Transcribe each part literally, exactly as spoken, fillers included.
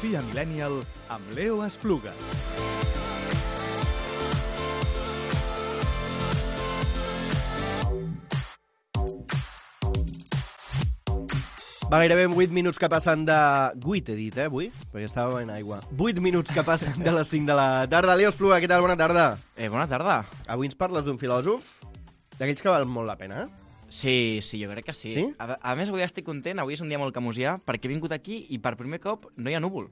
Filosofia Millennial amb Leo Espluga. Va, gairebé vuit minuts que passen de... vuit he dit, eh, avui? Perquè estava en aigua. vuit minuts que passen de les cinc de la tarda. Leo Espluga, què tal? Bona tarda. Eh, bona tarda. Avui ens parles d'un filòsof d'aquells que val molt la pena, eh? Sí, sí, jo crec que sí. Sí? A, a més, avui estic content, avui és un dia molt camusià, perquè he vingut aquí i per primer cop no hi ha núvol.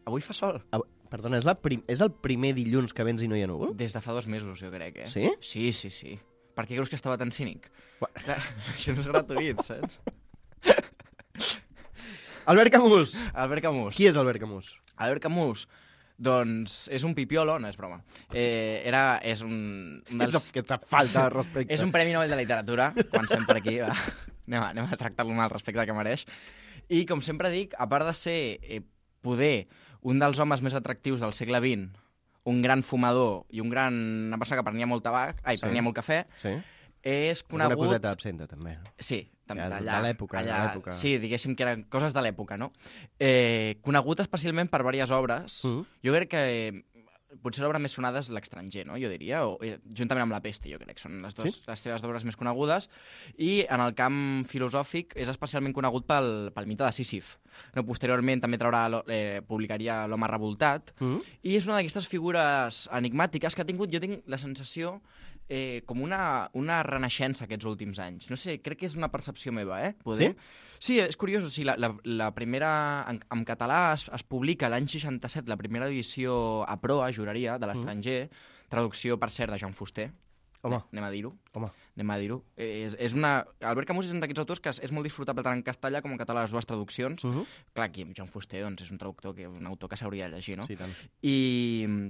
Avui fa sol. Ah, perdona, és, la prim... és el primer dilluns que vens i no hi ha núvol? Des de fa dos mesos, jo crec, eh? Sí? Sí, sí, sí. Per què creus que estava tan cínic? Ua. Clar, això no és gratuït, saps? Albert Camus! Albert Camus. Qui és Albert Camus? Albert Camus, doncs, és un pipiolo, no és broma. Eh, era, és un, un dels... És que te falta de respecte. És un Premi Nobel de Literatura, comencem per aquí, va. Anem a, anem a tractar-lo amb el respecte que mereix. I, com sempre dic, a part de ser eh, poder un dels homes més atractius del segle vint, un gran fumador i un gran... una persona que prenia molt tabac, ai, Sí. prenia molt cafè, Sí? és Una conegut... coseta absenta, també. Sí, també Ja és allà, de l'època, de allà, l'època. Sí, diguéssim que eren coses de l'època, no? Eh, conegut especialment per diverses obres. Mm. Jo crec que eh, potser l'obra més sonada és L'Estranger, no? Jo diria, o, eh, juntament amb La Peste, jo crec, són les, dos, Sí? les seves obres més conegudes. I en el camp filosòfic és especialment conegut pel, pel mite de Sísif. No, posteriorment també traurà, lo- eh, publicaria L'Home revoltat. Mm. I és una d'aquestes figures enigmàtiques que ha tingut, jo tinc la sensació, eh, com una, una renaixença aquests últims anys. No sé, crec que és una percepció meva, eh? Poder? Sí, és curiós. O sigui, la, la, la primera... En, en català es, es publica l'any seixanta-set la primera edició a proa, juraria, de L'Estranger, traducció, per cert, de Joan Fuster. Home. Anem a dir-ho. Home. Anem a dir-ho. Eh, És, és una... Albert Camus és un d'aquests autors que és, és molt disfrutable tant en castellà com en català, les dues traduccions. Uh -huh. Clar, aquí Joan Fuster doncs, és un traductor, que, un autor que s'hauria de llegir, no? Sí, tant. I,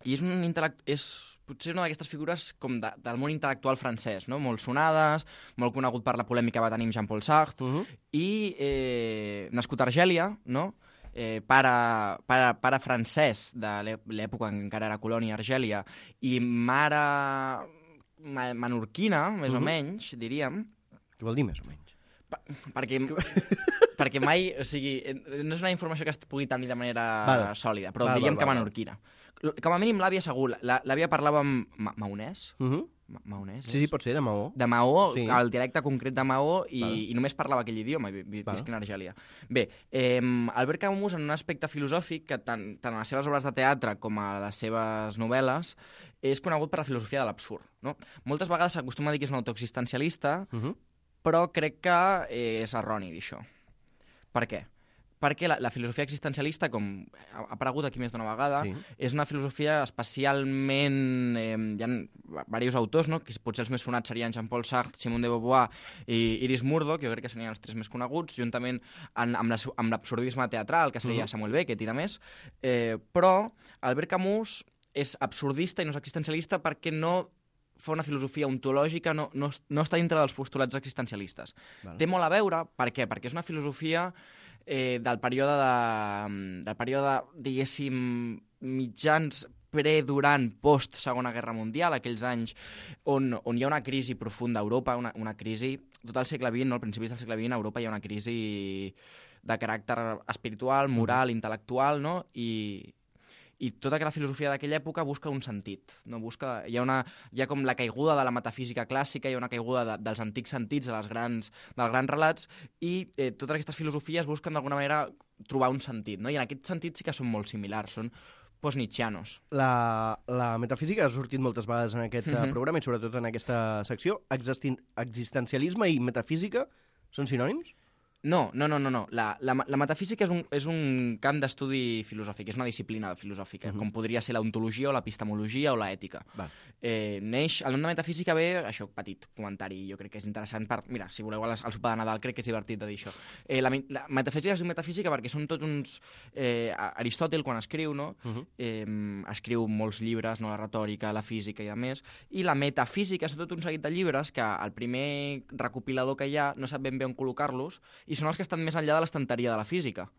i és un intel·lect... és potser una d'aquestes figures com de, del món intel·lectual francès, no? Molt sonades, molt conegut per la polèmica que va tenir amb Jean-Paul Sartre, Uh -huh. i eh, nascut a Argèlia, no? Eh, pare, pare, pare francès de l'è- l'època en què encara era colònia Argèlia, i mare ma menorquina, més Mhm. o menys, diríem, Què vol dir, més o menys? per, perquè, perquè mai, o sigui, eh, no és una informació que es pugui tenir de manera Val. sòlida, però Val, diríem val, que val, val. menorquina. Com a mínim l'àvia segur, la- l'àvia parlava amb ma maonès, Uh -huh. Ma maonès, Sí, sí, pot ser, de Maó. de Maó, Sí. el dialecte concret de Maó, i, Val. i només parlava aquell idioma, vi- vi- Val. visc en Argèlia. Bé, eh, Albert Camus, en un aspecte filosòfic, que tant, tant a les seves obres de teatre com a les seves novel·les, és conegut per la filosofia de l'absurd. No? Moltes vegades s'acostuma a dir que és un autor existencialista, Uh -huh. però crec que eh, és erroni dir això. Per què? Perquè la, la filosofia existencialista, com ha ha aparegut aquí més d'una vegada, Sí. és una filosofia especialment... Eh, hi ha diversos autors, no? Que potser els més sonats serien Jean-Paul Sartre, Simone de Beauvoir i Iris Murdoch, jo crec que serien els tres més coneguts, juntament en, amb la- amb l'absurdisme teatral, que seria Mhm. Samuel Beckett i de més. Eh, però Albert Camus és absurdista i no és existencialista perquè no fa una filosofia ontològica, no, no, no està dintre dels postulats existencialistes. Val. Té molt a veure, per què? Perquè és una filosofia eh, del període, de, del període, diguéssim, mitjans pre, durant, post Segona Guerra Mundial, aquells anys on, on hi ha una crisi profunda a Europa, una, una crisi, tot el segle vint, no? Al principi del segle vint, a Europa hi ha una crisi de caràcter espiritual, moral, intel·lectual, no? I, i tota aquella filosofia d'aquella època busca un sentit. No? Busca, hi, ha una, hi ha com la caiguda de la metafísica clàssica, hi ha una caiguda de, dels antics sentits, de les grans, dels grans relats, i eh, totes aquestes filosofies busquen d'alguna manera trobar un sentit. No? I en aquest sentit sí que són molt similars, són post-nietzschianos. La, la metafísica ha sortit moltes vegades en aquest uh Mhm. programa i sobretot en aquesta secció. Existin existencialisme i metafísica són sinònims? No, no, no, no. no. La, la, la metafísica és un, és un camp d'estudi filosòfic, és una disciplina filosòfica, Uh -huh. com podria ser l'ontologia o l'epistemologia o l'ètica. Va. Eh, neix, el nom de metafísica ve, això, petit comentari, jo crec que és interessant per... Mira, si voleu al, al sopar de Nadal, crec que és divertit de dir això. Eh, la, mi- la metafísica és una metafísica perquè són tots uns... Eh, Aristòtil, quan escriu, no? Uh -huh. eh, escriu molts llibres, no? La retòrica, la física i de més, i la metafísica són tot un seguit de llibres que el primer recopilador que hi ha no sap ben bé on col·locar-los, i són els que estan més enllà de l'estanteria de la física.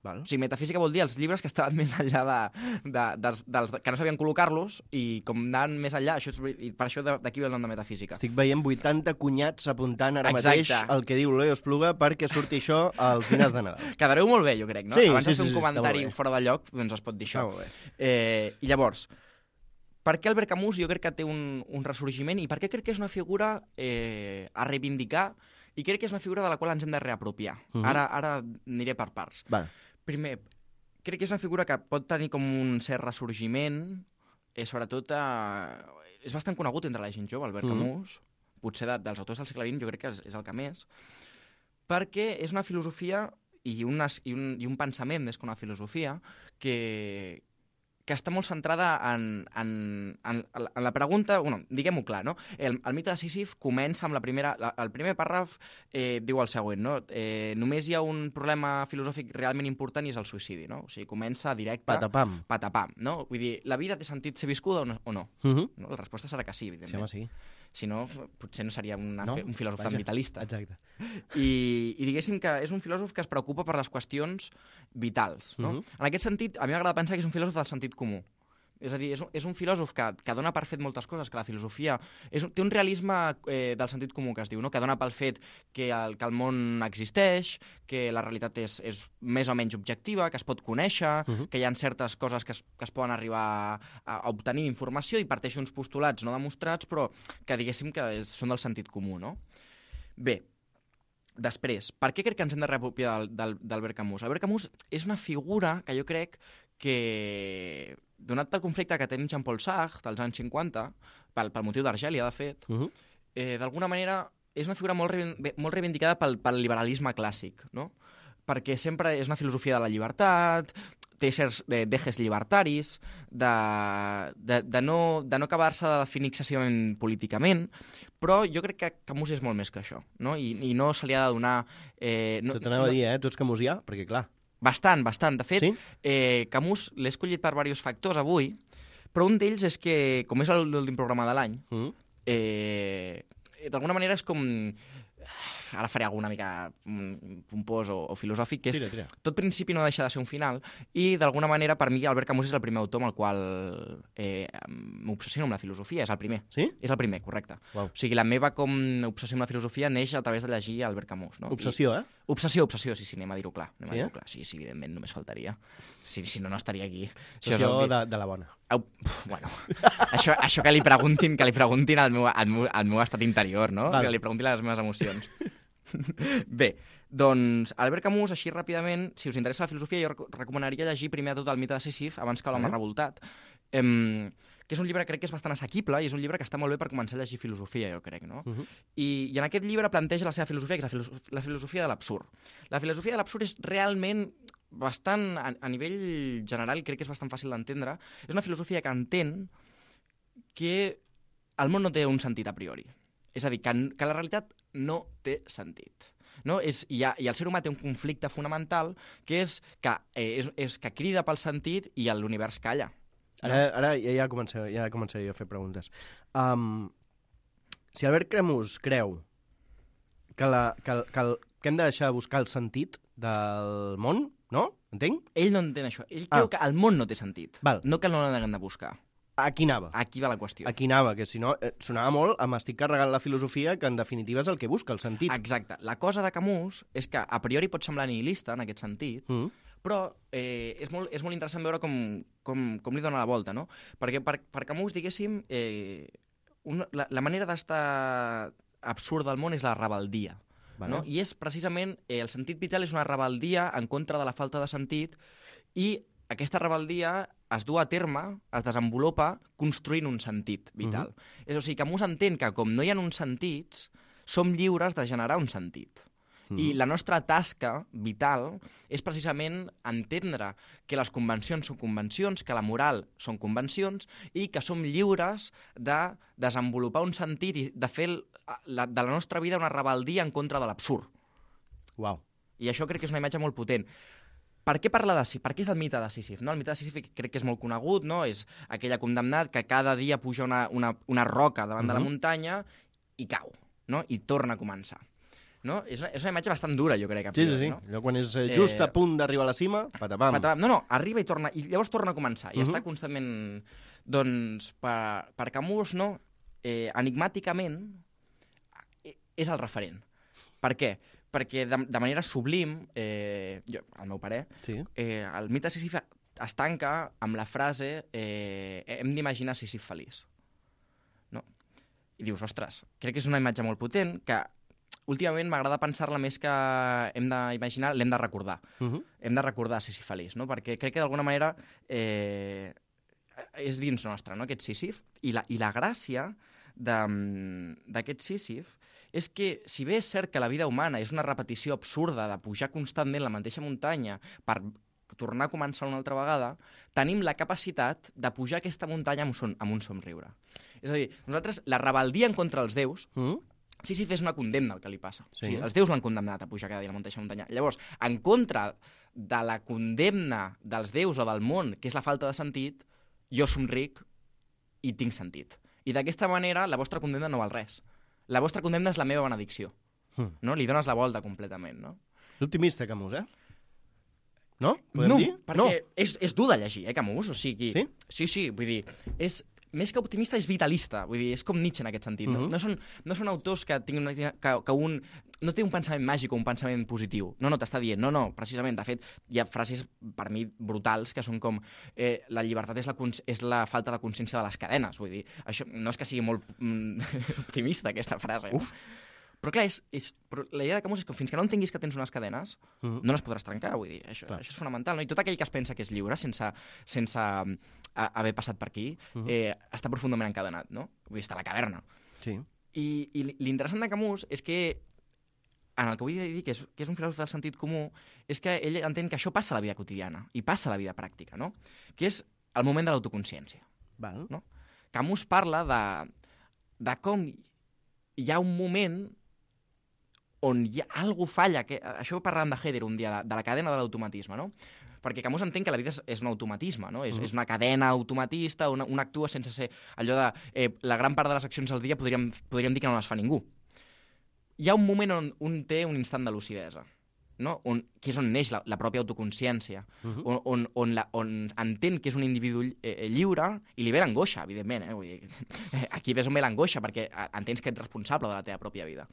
Val. O sigui, metafísica vol dir els llibres que estaven més enllà de, de, dels, dels que no sabien col·locar-los i com anaven més enllà, això és, i per això d'aquí ve el nom de metafísica. Estic veient vuitanta cunyats apuntant ara Exacte. mateix el que diu Leo Espluga perquè surti això als dinars de Nadal. Quedareu molt bé, jo crec, no? Sí, Abans sí, de fer sí, un sí, comentari està molt bé. fora de lloc, doncs es pot dir això. Està molt bé. Eh, I llavors, per què Albert Camus jo crec que té un, un ressorgiment i per què crec que és una figura eh, a reivindicar i crec que és una figura de la qual ens hem de reapropiar. Uh -huh. Ara ara aniré per parts. Vale. Primer, crec que és una figura que pot tenir com un cert ressorgiment, eh, sobretot eh, és bastant conegut entre la gent jove, Albert Mm. Camus, potser de, dels autors del segle vint jo crec que és, és el que més, perquè és una filosofia i, unes, i, un, i un pensament més que una filosofia que, que està molt centrada en, en, en, en la pregunta, bueno, diguem-ho clar, no? El, el mite de Sísif comença amb la primera... La, el primer pàrraf eh, diu el següent, no? Eh, només hi ha un problema filosòfic realment important i és el suïcidi, no? O sigui, comença directe... Patapam. Patapam, no? Vull dir, la vida té sentit ser viscuda o no? O no? Uh -huh. no? La resposta serà que sí, evidentment. Sí, home, sí. Si no, potser no seria una, No? un filòsof Vaja. tan vitalista. Exacte. I, I diguéssim que és un filòsof que es preocupa per les qüestions vitals. No? Mhm. En aquest sentit, a mi m'agrada pensar que és un filòsof del sentit comú. És a dir, és un, és un filòsof que, que dona per fet moltes coses, que la filosofia és un, té un realisme eh, del sentit comú que es diu, no? Que dona pel fet que el, que el món existeix, que la realitat és, és més o menys objectiva, que es pot conèixer, uh -huh. que hi ha certes coses que es, que es poden arribar a, a obtenir informació i parteix uns postulats no demostrats, però que diguéssim que és, són del sentit comú, no? Bé, després, per què crec que ens hem de reapropiar d'Albert Camus? Albert Camus és una figura que jo crec que, donat pel conflicte que té amb Jean-Paul Sartre dels anys cinquanta, pel, pel motiu d'Argèlia, de fet, uh -huh. eh, d'alguna manera és una figura molt, molt reivindicada pel, pel liberalisme clàssic, no? Perquè sempre és una filosofia de la llibertat, té certs dejes llibertaris, de, de, de, no, de no acabar-se de definir excessivament políticament, però jo crec que Camus és molt més que això, no? I, i no se li ha de donar... Eh, no, Tot t'anava no, a dir, eh? Tu ets camusià? Perquè, clar... Bastant, bastant. De fet, sí? eh, Camus l'he escollit per diversos factors avui, però un d'ells és que, com és l'últim programa de l'any, mm. eh, d'alguna manera és com... Ara faré alguna mica pompós o, o filosòfic, que és tira, tira. tot principi no deixa de ser un final, i d'alguna manera per mi Albert Camus és el primer autor amb el qual eh, m'obsessiono amb la filosofia, és el primer. Sí? És el primer, correcte. Wow. O sigui, la meva com obsessió amb la filosofia neix a través de llegir Albert Camus. No? Obsessió, I, eh? Obsessió, obsessió, sí, sí, anem a dir-ho clar. Anem sí, a dir-ho eh? clar. Sí, sí, evidentment, només faltaria. Si, si no, no estaria aquí. Obsessió això de, de la bona. Au, bueno, això, això que li preguntin, que li preguntin al meu, al meu, al meu estat interior, no? Val. Que li preguntin les meves emocions. Bé, doncs Albert Camus, així ràpidament, si us interessa la filosofia, jo recomanaria llegir primer de tot el mite de Sísif, abans que l'home eh? revoltat, em, que és un llibre que crec que és bastant assequible i és un llibre que està molt bé per començar a llegir filosofia, jo crec, no? Uh -huh. I, I en aquest llibre planteja la seva filosofia, que és la, filoso la filosofia de l'absurd. La filosofia de l'absurd és realment bastant, a, a nivell general, crec que és bastant fàcil d'entendre, és una filosofia que entén que el món no té un sentit a priori. És a dir, que, que la realitat no té sentit. No? És, i, ha, I el ser humà té un conflicte fonamental que és que, eh, és, és que crida pel sentit i l'univers calla. No? Ara, ara ja, ja, començaré, ja començaré a fer preguntes. Um, si Albert Camus creu que, la, que, que, que hem de deixar de buscar el sentit del món, no? Entenc? Ell no entén això. Ell ah. creu que el món no té sentit. Val. No que no l'hem de buscar. Aquí anava. Aquí va la qüestió. Aquí anava, que si no, eh, sonava molt a m'estic carregant la filosofia, que en definitiva és el que busca, el sentit. Exacte. La cosa de Camus és que a priori pot semblar nihilista en aquest sentit, mm. però eh, és, molt, és molt interessant veure com, com, com li dona la volta, no? Perquè per, per Camus, diguéssim, eh, una, la, la manera d'estar absurd del món és la rebeldia. Vale. No? I és precisament, eh, el sentit vital és una rebeldia en contra de la falta de sentit i aquesta rebeldia es du a terme, es desenvolupa construint un sentit vital. Uh-huh. És a dir, Camus entén que com no hi ha uns sentits, som lliures de generar un sentit. Uh-huh. I la nostra tasca vital és precisament entendre que les convencions són convencions, que la moral són convencions i que som lliures de desenvolupar un sentit i de fer la, de la nostra vida una rebeldia en contra de l'absurd. Uau. I això crec que és una imatge molt potent. Per què parla de Sísif? Per què és el mite de Sísif? No? El mite de Sísif crec que és molt conegut, no? És aquella condemnat que cada dia puja una, una, una roca davant uh-huh. de la muntanya i cau, no? I torna a començar. No? És, una, és una imatge bastant dura, jo crec. A Sí, priori, sí, sí. No? Allò quan és eh, just Eh, a punt d'arribar a la cima, patapam. Patapam. No, no, arriba i torna, i llavors torna a començar, i Mhm. està constantment... Doncs, per, per Camus, no, eh, enigmàticament, eh, és el referent. Per què? Perquè de, de manera sublim, eh, jo, al meu parer, Sí. eh, el mite de Sísif es tanca amb la frase eh, hem d'imaginar Sísif feliç. No? I dius, ostres, crec que és una imatge molt potent que últimament m'agrada pensar-la més que hem d'imaginar, l'hem de recordar. Uh -huh. Hem de recordar Sísif feliç, no? Perquè crec que d'alguna manera eh, és dins nostre, no?, aquest Sísif. I la, i la gràcia d'aquest Sísif és que, si bé és cert que la vida humana és una repetició absurda de pujar constantment la mateixa muntanya per tornar a començar una altra vegada, tenim la capacitat de pujar aquesta muntanya amb un, son, amb un somriure. És a dir, nosaltres, la rebel·lia en contra dels déus, Uh -huh. Sísif és una condemna el que li passa. Sí. O sigui, els déus l'han condemnat a pujar cada dia a la mateixa muntanya. Llavors, en contra de la condemna dels déus o del món, que és la falta de sentit, jo somric i tinc sentit. I d'aquesta manera la vostra condemna no val res. La vostra condemna és la meva benedicció. Mm. No? Li dones la volta completament, no? És optimista, Camus, eh? No? Podem No, dir? perquè No. és, és dur de llegir, eh, Camus? O sigui, Sí? Sí, sí, vull dir, és... Més que optimista, és vitalista. Vull dir, és com Nietzsche en aquest sentit. No, Mhm. no, són, no són autors que tinguin una, que, que un... No té un pensament màgic o un pensament positiu. No, no, t'està dient. No, no, precisament. De fet, hi ha frases, per mi, brutals, que són com eh, la llibertat és la, és la falta de consciència de les cadenes. Vull dir, això no és que sigui molt mm, optimista, aquesta frase. Uf. Però clar, és, és, però la idea de Camus és que fins que no entenguis que tens unes cadenes, Mhm. no les podràs trencar, vull dir, això, Clar. això és fonamental, no? I tot aquell que es pensa que és lliure, sense, sense um, a, haver passat per aquí, Mhm. eh, està profundament encadenat, no? Vull dir, està a la caverna. Sí. I, i l'interessant de Camus és que, en el que vull dir que és, que és un filòsof del sentit comú, és que ell entén que això passa a la vida quotidiana, i passa a la vida pràctica, no? Que és el moment de l'autoconsciència. Val. No? Camus parla de, de com hi ha un moment on hi ha, algú falla, que, això parlàvem de Heidegger un dia, de, de la cadena de l'automatisme, no? Perquè Camus entén que la vida és, és un automatisme, no? És, Mm. és una cadena automatista, una, un actua sense ser allò de... Eh, la gran part de les accions del dia podríem, podríem dir que no les fa ningú. Hi ha un moment on un té un instant de lucidesa, no? On, que és on neix la, la pròpia autoconsciència, Mhm. on, on, on, la, on entén que és un individu eh, lliure i li ve l'angoixa, evidentment. Eh? Vull dir, aquí ves on ve l'angoixa, perquè entens que ets responsable de la teva pròpia vida.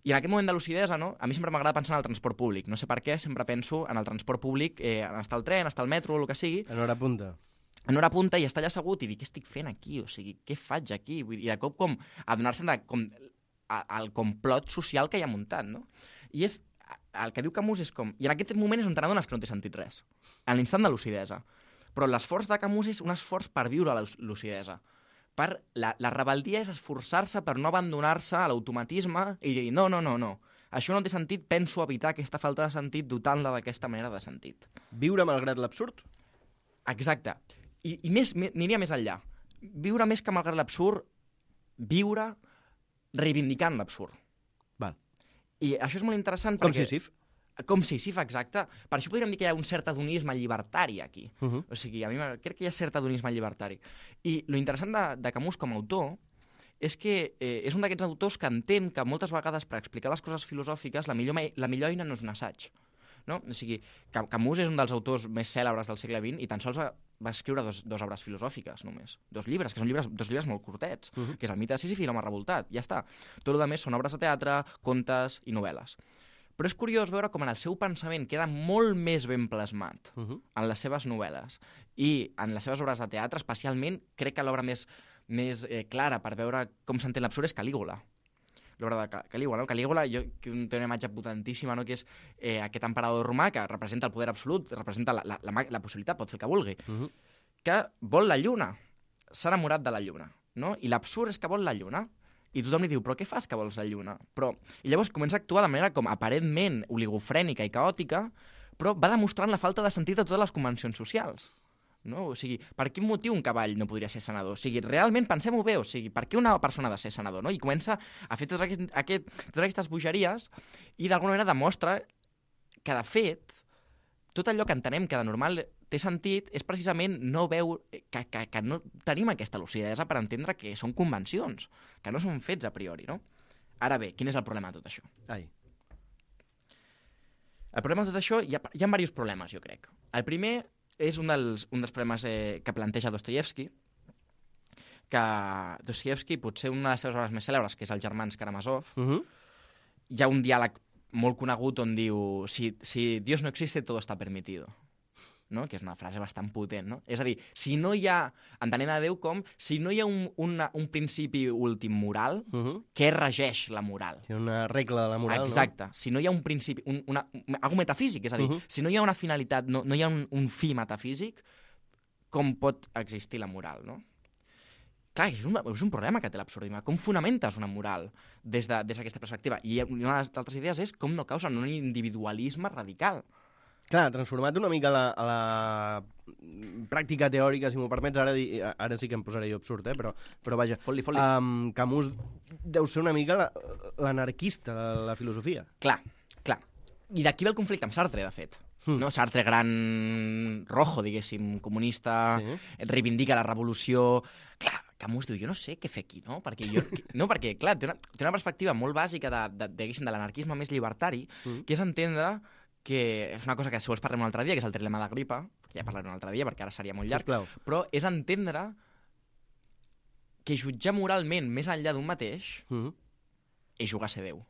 I en aquest moment de lucidesa, no? A mi sempre m'agrada pensar en el transport públic. No sé per què, sempre penso en el transport públic, eh, en estar al tren, estar al metro, o el que sigui, En hora punta. en hora punta i estar allà assegut i dir què estic fent aquí, o sigui, què faig aquí? Vull dir, I de cop com adonar-se de com, a, al complot social que hi ha muntat, no? I és, el que diu Camus és com... I en aquest moment és on te n'adones que no té sentit res. En l'instant de lucidesa. Però l'esforç de Camus és un esforç per viure la lucidesa. Per la, la rebel·lia és esforçar-se per no abandonar-se a l'automatisme i dir, no, no, no, no. Això no té sentit, penso evitar aquesta falta de sentit dotant-la d'aquesta manera de sentit. Viure malgrat l'absurd? Exacte. I, i més, més, aniria més enllà. Viure més que malgrat l'absurd, viure reivindicant l'absurd. Val. I això és molt interessant Com perquè... Sísif? Com Sísif, exacte. Per això podríem dir que hi ha un cert adonisme llibertari aquí. Uh -huh. O sigui, a mi crec que hi ha cert adonisme llibertari. I lo interessant de, de Camus com a autor és que eh, és un d'aquests autors que entén que moltes vegades per explicar les coses filosòfiques la millor, la millor eina no és un assaig. No? O sigui, Camus és un dels autors més cèlebres del segle vint i tan sols va, va escriure dos, dos obres filosòfiques només. Dos llibres, que són llibres, dos llibres molt curtets, uh -huh. que és el mite de Sísif i l'home revoltat. Ja està. Tot el més són obres de teatre, contes i novel·les. Però és curiós veure com en el seu pensament queda molt més ben plasmat Uh -huh. en les seves novel·les i en les seves obres de teatre, especialment, crec que l'obra més, més eh, clara per veure com s'entén l'absurd és Calígula. L'obra de Calígula, no? Calígula jo, que té una imatge potentíssima, no? Que és eh, aquest emperador romà que representa el poder absolut, representa la, la, la, la possibilitat, pot fer el que vulgui, Uh -huh. que vol la lluna, s'ha enamorat de la lluna, no? I l'absurd és que vol la lluna. I tothom li diu, però què fas que vols la lluna? Però... I llavors comença a actuar de manera com aparentment oligofrènica i caòtica, però va demostrant la falta de sentit de totes les convencions socials. No? O sigui, per quin motiu un cavall no podria ser senador? O sigui, realment pensem-ho bé, o sigui, per què una persona ha de ser senador? No? I comença a fer totes, aquest, aquest, totes aquestes bogeries i d'alguna manera demostra que, de fet, tot allò que entenem que de normal té sentit és precisament no veure que, que, que no tenim aquesta lucidesa per entendre que són convencions, que no són fets a priori, no? Ara bé, quin és el problema de tot això? Ai. El problema de tot això, hi ha, hi ha diversos problemes, jo crec. El primer és un dels, un dels problemes eh, que planteja Dostoyevsky, que Dostoyevsky, potser una de les seves obres més cèlebres, que és Els germans Karamazov, Uh -huh. hi ha un diàleg molt conegut on diu si, si Dios no existe, todo está permitido. No? Que és una frase bastant potent, no? És a dir, si no hi ha, entenent a Déu com, si no hi ha un, una, un principi últim moral, Uh -huh. què regeix la moral? Hi ha una regla de la moral, Exacte. Si no hi ha un principi, un, una, un, algo metafísic, és a dir, Uh -huh. si no hi ha una finalitat, no, no hi ha un, un fi metafísic, com pot existir la moral, no? Clar, és un, és un problema que té l'absurdisme. Com fonamentes una moral des de, des d'aquesta perspectiva? I una de les altres idees és com no causen un individualisme radical. no? Clar, transformat una mica a la, a la pràctica teòrica, si m'ho permets, ara, di- ara sí que em posaré jo absurd, eh? però, però vaja. Fot-li, fot-li. Um, Camus deu ser una mica la- l'anarquista de la filosofia. Clar, clar. I d'aquí ve el conflicte amb Sartre, de fet. Mm. No? Sartre, gran rojo, diguéssim, comunista, Sí. reivindica la revolució... Clar, Camus diu, jo no sé què fer aquí, no? Perquè, jo, no, perquè clar, té una, té una perspectiva molt bàsica de, de, de, de l'anarquisme més llibertari, Mm. que és entendre que és una cosa que si vols parlem un altre dia, que és el trilema d'Agripa, que ja parlaré un altre dia perquè ara seria molt llarg, Sisplau. però és entendre que jutjar moralment més enllà d'un mateix Uh -huh. és jugar a ser Déu.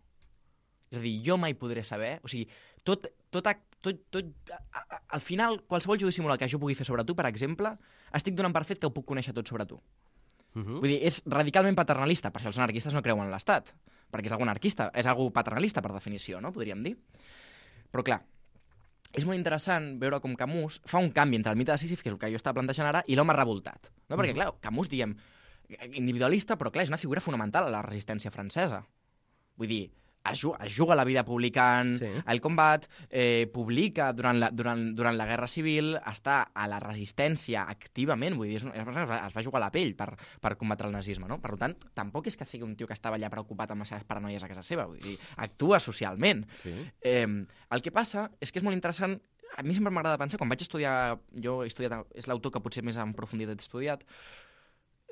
És a dir, jo mai podré saber... O sigui, tot, tot, ac- tot, tot, a, a, al final, qualsevol judici moral que jo pugui fer sobre tu, per exemple, estic donant per fet que ho puc conèixer tot sobre tu. Uh -huh. Vull dir, és radicalment paternalista. Per això els anarquistes no creuen en l'Estat. Perquè és algú anarquista. És algú paternalista, per definició, no? Podríem dir. Però, clar, és molt interessant veure com Camus fa un canvi entre el mite de Sísif, que és el que jo estava plantejant ara, i l'home revoltat. No? Perquè, clar, Camus, diem, individualista, però, clar, és una figura fonamental a la resistència francesa. Vull dir, es juga, es juga la vida publicant Sí. el combat, eh, publica durant la, durant, durant la Guerra Civil, està a la resistència activament, vull dir, és una, és una persona que es va jugar la pell per, per combatre el nazisme, no? Per tant, tampoc és que sigui un tio que estava allà preocupat amb les seves paranoies a casa seva, vull dir, actua socialment. Sí. Eh, el que passa és que és molt interessant, a mi sempre m'agrada pensar, quan vaig estudiar, jo he estudiat, és l'autor que potser més en profunditat he estudiat,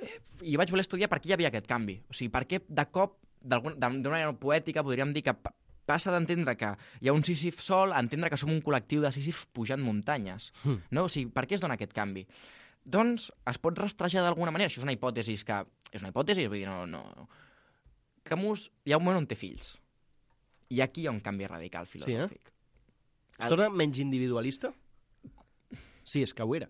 eh, i vaig voler estudiar per què hi havia aquest canvi. O sigui, per què de cop, d'alguna d'una manera poètica, podríem dir que pa- passa d'entendre que hi ha un Sísif sol a entendre que som un col·lectiu de Sísif pujant muntanyes. Mm. No? O sigui, per què es dona aquest canvi? Doncs es pot rastrejar d'alguna manera, això és una hipòtesi que... És una hipòtesi, vull dir, no... no... Camus, hi ha un moment on té fills. I aquí hi ha un canvi radical filosòfic. Es torna menys individualista? Sí, és que ho era.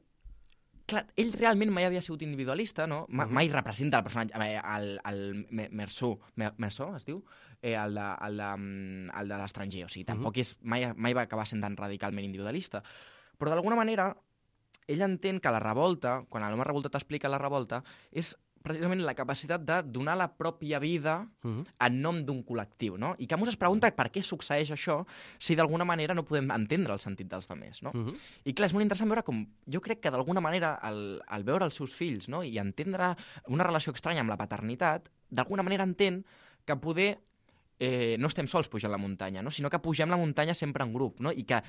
Clar, ell realment mai havia sigut individualista, no? Ma, mai representa el personatge, eh, el, el Me- Meursault, Me- Meursault es diu? Eh, el de, el de, mm, el de l'estranger, o sigui, tampoc és, mai, mai va acabar sent tan radicalment individualista. Però d'alguna manera, ell entén que la revolta, quan l'home revoltat explica la revolta, és precisament la capacitat de donar la pròpia vida Uh -huh. en nom d'un col·lectiu, no? I Camus es pregunta per què succeeix això si d'alguna manera no podem entendre el sentit dels altres, no? Uh -huh. I clar, és molt interessant veure com... Jo crec que d'alguna manera, al, al veure els seus fills, no?, i entendre una relació estranya amb la paternitat, d'alguna manera entén que poder... Eh, no estem sols pujant la muntanya, no?, sinó que pugem la muntanya sempre en grup, no?, i que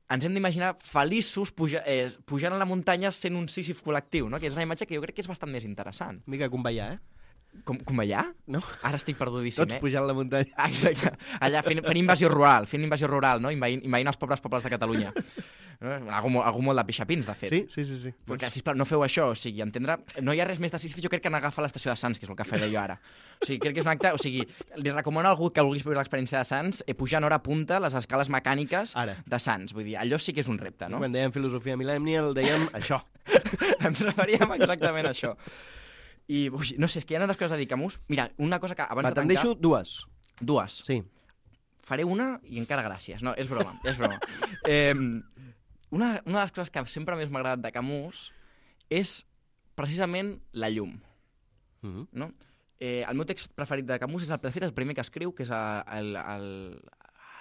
ens hem d'imaginar feliços puja, eh, pujant a la muntanya sent un Sísif col·lectiu, no?, que és una imatge que jo crec que és bastant més interessant. Mica conveiar, eh? Com, com allà? No? Ara estic perdudíssim, Tots eh? pujant la muntanya. Ah, exacte. Allà fent, fent invasió rural, fent invasió rural, no? Invaint, invaint els pobres pobles de Catalunya. No? Algú, molt- algú molt de pixapins, de fet. Sí, sí, sí. sí. Perquè, sisplau, no feu això, o sigui, entendre... No hi ha res més de Sísif, jo crec que n'agafar l'estació de Sants, que és el que faré jo ara. O sigui, crec que és un acte... O sigui, li recomano a algú que vulguis viure l'experiència de Sants eh, pujar en hora punta les escales mecàniques Ara. de Sants. Vull dir, allò sí que és un repte, no? Quan dèiem filosofia millennial, dèiem això. Ens referíem exactament a això. I, ui, no sé, és que hi ha tantes coses a dir, Camus. Mira, una cosa que abans Va, de te'n tancar... deixo dues. Dues. Sí. Faré una i encara gràcies. No, és broma, és broma. Eh, una, una de les coses que sempre més m'ha agradat de Camus és precisament la llum. Uh -huh. No? Eh, el meu text preferit de Camus és el, de fet, el primer que escriu, que és el, el, el,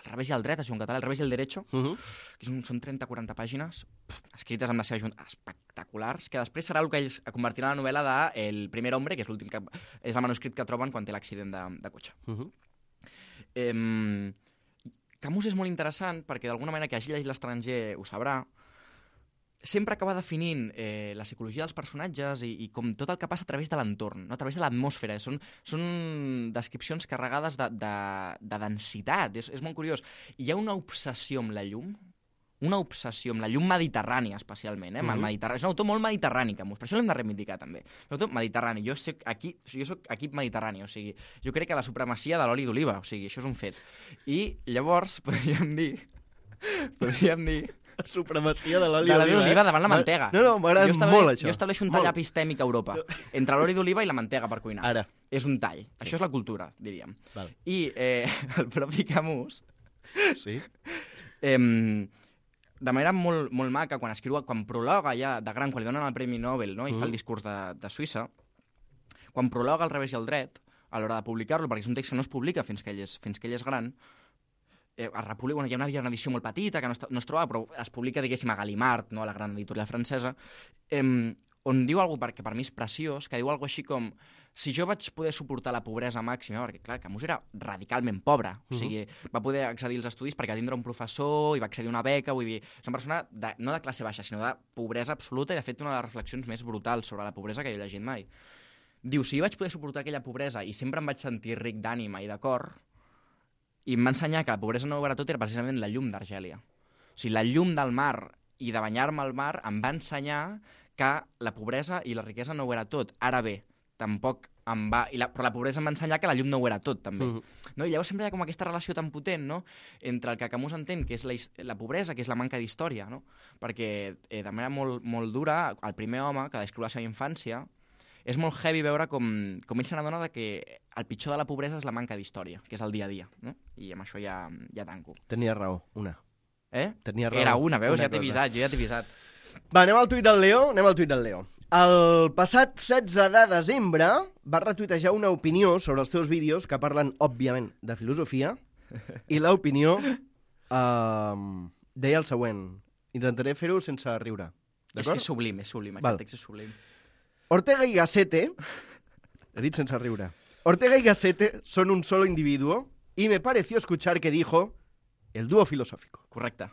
el revés i el dret, això en català, el revés i el derecho, Uh -huh. que són, són trenta quaranta pàgines pf, escrites amb la seva junta, espectaculars, que després serà el que ells convertiran en la novel·la de El primer hombre, que és l'últim que és el manuscrit que troben quan té l'accident de, de cotxe. Uh -huh. Eh, Camus és molt interessant perquè d'alguna manera que hagi llegit l'estranger ho sabrà. sempre acaba definint eh, la psicologia dels personatges i, i com tot el que passa a través de l'entorn, no? A través de l'atmosfera. Són, són descripcions carregades de, de, de densitat, és, és molt curiós. I hi ha una obsessió amb la llum, una obsessió amb la llum mediterrània, especialment, eh? Mm -hmm. Mediterrani. És un autor molt mediterrani, Camus, per això l'hem de reivindicar, també. Un autor mediterrani. Jo soc, aquí, jo soc equip mediterrani, o sigui, jo crec que la supremacia de l'oli d'oliva, o sigui, això és un fet. I llavors podríem dir... podríem dir... La supremacia de l'oli d'oliva. De l'oli d'oliva eh? davant la mantega. No, no, m'agrada molt, això. Jo estableixo un tall molt. epistèmic a Europa, entre l'oli d'oliva i la mantega per cuinar. Ara. És un tall. Sí. Això és la cultura, diríem. Val. I eh, el propi Camus... Sí. Eh, de manera molt, molt maca, quan escriu, quan prologa ja de gran, quan li donen el Premi Nobel, no? I mm. fa el discurs de, de Suïssa, quan prologa al revés i al dret, a l'hora de publicar-lo, perquè és un text que no es publica fins que ell és, fins que ell és gran, eh, es republica, bueno, hi ha una, una edició molt petita que no es, no es troba, però es publica, diguéssim, a Gallimard, no? A la gran editorial francesa, eh, on diu alguna cosa que per mi és preciós, que diu alguna cosa així com si jo vaig poder suportar la pobresa màxima, perquè clar, Camus era radicalment pobre, uh -huh. o sigui, va poder accedir als estudis perquè tindre un professor i va accedir a una beca, vull dir, és una persona de, no de classe baixa, sinó de pobresa absoluta, i de fet una de les reflexions més brutals sobre la pobresa que jo he llegit mai. Diu, si jo vaig poder suportar aquella pobresa i sempre em vaig sentir ric d'ànima i de cor, i em va ensenyar que la pobresa no ho era tot, era precisament la llum d'Argèlia. O sigui, la llum del mar i de banyar-me al mar em va ensenyar que la pobresa i la riquesa no ho era tot. Ara bé, tampoc em va... I la, però la pobresa em va ensenyar que la llum no ho era tot, també. Mm. No? I llavors sempre hi ha com aquesta relació tan potent, no?, entre el que Camus entén, que és la, la pobresa, que és la manca d'història, no? Perquè, eh, de manera molt, molt dura, el primer home, que descriu la seva infància, és molt heavy veure com, com ell se n'adona que el pitjor de la pobresa és la manca d'història, que és el dia a dia, no? I amb això ja, ja tanco. Tenia raó, una. Eh? Tenia raó. Era una, veus? Una ja t'he avisat, jo ja t'he avisat. Va, anem al tuit del Leo, anem al tuit del Leo. El passat setze de desembre va retuitejar una opinió sobre els teus vídeos que parlen, òbviament, de filosofia, i l'opinió eh, deia el següent. Intentaré fer-ho sense riure. És que és sublim, és sublim, aquest text és sublim. Ortega y Gasset, he dit sense riure, Ortega y Gasset son un solo individuo y me pareció escuchar que dijo el dúo filosófico. Correcte.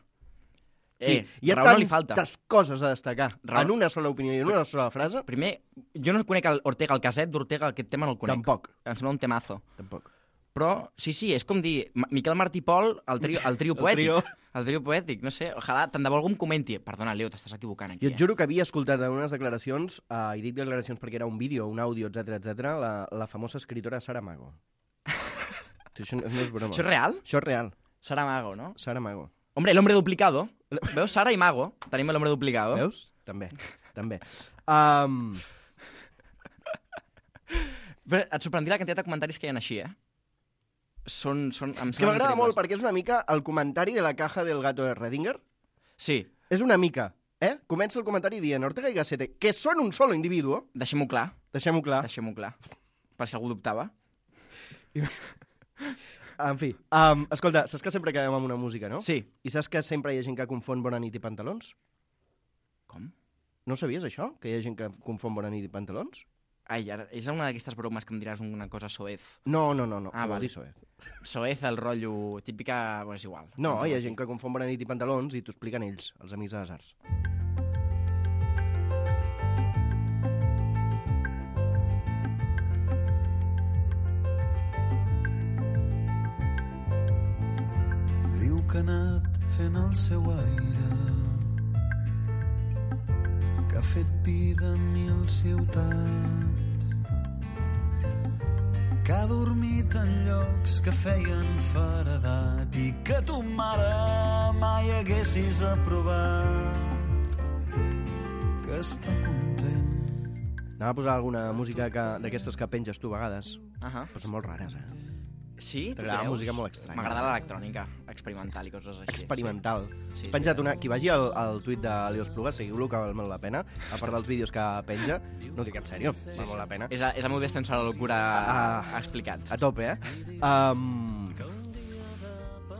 Sí, Eh, hi ha raó no li falta. tantes coses a destacar Raó- en una sola opinió i en una sola frase. Primer, jo no conec el Ortega, el caset d'Ortega, aquest tema no el conec. Tampoc. Em sembla un temazo. Tampoc. Però, sí, sí, és com dir Ma- Miquel Martí i Pol, el trio, el trio El poètic. trio. El trio poètic, no sé, ojalà, tant de bo algú em comenti. Perdona, Leo, t'estàs equivocant aquí. Jo et juro que havia escoltat en unes declaracions, eh, i dic declaracions perquè era un vídeo, un àudio, etcètera, etcètera, la, la famosa escritora Sara Mago. Això no és broma. Això és real? Això és real. Sara Mago, no? Sara Mago. Hombre, el hombre duplicado. Veus? Sara i Mago. Tenim el hombre duplicado. Veus? També. També. Um, Però et sorprendrà la quantitat de comentaris que hi ha així, eh? Són, són, em és que m'agrada molt perquè és una mica el comentari de la caja del gato de Redinger. Sí. És una mica, eh? Comença el comentari dient Ortega y Gasset, que són un solo individuo. Deixem-ho clar. Deixem-ho clar. Deixem-ho clar. Per si algú dubtava. En fi, um, escolta, saps que sempre acabem amb una música, no? Sí. I saps que sempre hi ha gent que confon Bona nit i pantalons? Com? No sabies això? Que hi ha gent que confon Bona nit i pantalons? Ai, ara, és una d'aquestes bromes que em diràs una cosa soez. No, no, no, no. Ah, no vale. dir soez. Soez, el rotllo típica... Bueno, és igual. No, hi ha gent que confon Bona nit i pantalons i t'ho expliquen ells, els amics de les arts. Diu que ha anat fent el seu aire, que ha fet vida en mil ciutats, que ha dormit en llocs que feien feredat i que tu, mare, mai haguessis aprovat, que està content. Anava a posar alguna música que, d'aquestes que penges tu a vegades, Ahà. però són molt rares, eh? Sí? Tu T'agrada creus? música molt estranya. M'agrada l'electrònica experimental i coses així. Experimental. Sí, He penjat una... Qui vagi al, al tuit de Leo Espluga, seguiu-lo, que val molt la pena. A part dels vídeos que penja, no ho dic en sèrio, val molt la pena. És, a, és el meu descens a la locura Ah. explicat. A tope, eh? Um,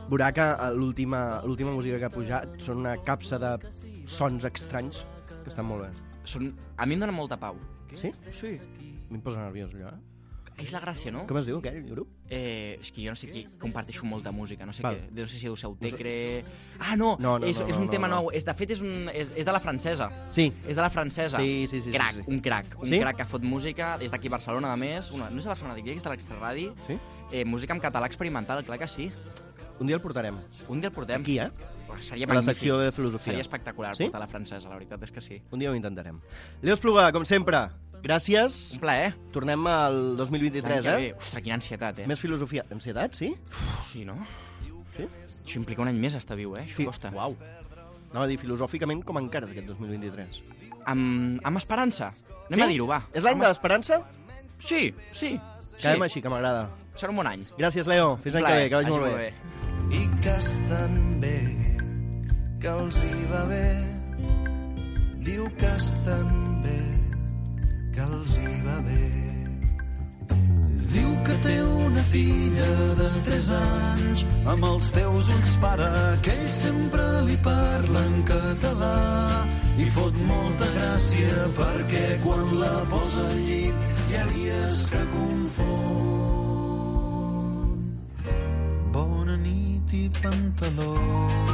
veurà que l'última l'última música que ha pujat són una capsa de sons estranys que estan molt bé. Són... A mi em dona molta pau. Sí? Sí. A mi em posa nerviós, allò, eh? És la gràcia, no? Com es diu aquell grup? Eh, és que jo no sé qui comparteixo molta música, no sé Val. què. No sé si deu ser Utecre... Ah, no, No, no, és, no, és no, un no, tema no. nou. És, de fet, és, un, és, és de la francesa. Sí. És de la francesa. Sí, sí, sí, Crac, sí, sí. un crac. Un Sí? crac que fot música. És d'aquí a Barcelona, a més. Una, no és de Barcelona, dic que és de l'Extraradi. Sí? Eh, música en català experimental, clar que sí. Un dia el portarem. Un dia el portem. Aquí, eh? Seria A la magnífic. secció de filosofia. Seria espectacular Sí? portar la francesa, la veritat és que sí. Un dia ho intentarem. Leo Espluga, com sempre, gràcies. Un plaer. Tornem al dos mil vint-i-tres, L'any que eh? ve. Ostres, quina ansietat, eh? Més filosofia. Ansietat, sí? Uf, sí, no? Sí? Això implica un any més estar viu, eh? Això Sí. costa. Uau. Anava a dir, filosòficament, com encares aquest dos mil vint-i-tres? Amb, amb esperança. Anem Sí? a dir-ho, va. És l'any Amb de es- l'esperança? Sí, sí. Quedem sí. així, que m'agrada. Serà un bon any. Gràcies, Leo. Fins l'any que ve, que vagi molt bé. I que estan bé, que els hi va bé. Diu que estan bé, que els hi va bé. Diu que té una filla de tres anys, amb els teus ulls, pare, que ell sempre li parla en català. I fot molta gràcia perquè quan la posa al llit hi ha dies que confon. Bona nit i pantaló.